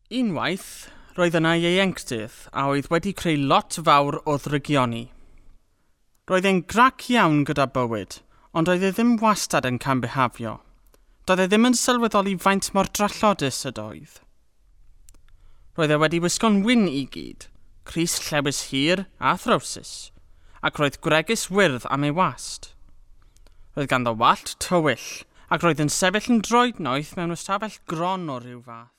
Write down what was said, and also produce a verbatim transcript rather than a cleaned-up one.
Unwaith, roedd yna ieuenctid a oedd wedi creu lot fawr o ddrygioni. Roedd e'n grac iawn gyda bywyd, ond oedd e ddim wastad yn cambihafio. Doedd e ddim yn sylweddoli faint mor drallodus ydoedd. Roedd e wedi wisgo'n wyn i gyd, crys llewis hir a throwsus, ac roedd gwregys wyrdd am ei wast. Roedd ganddo wallt tywyll, ac roedd yn sefyll yn droednoeth mewn ystafell gron o ryw fath.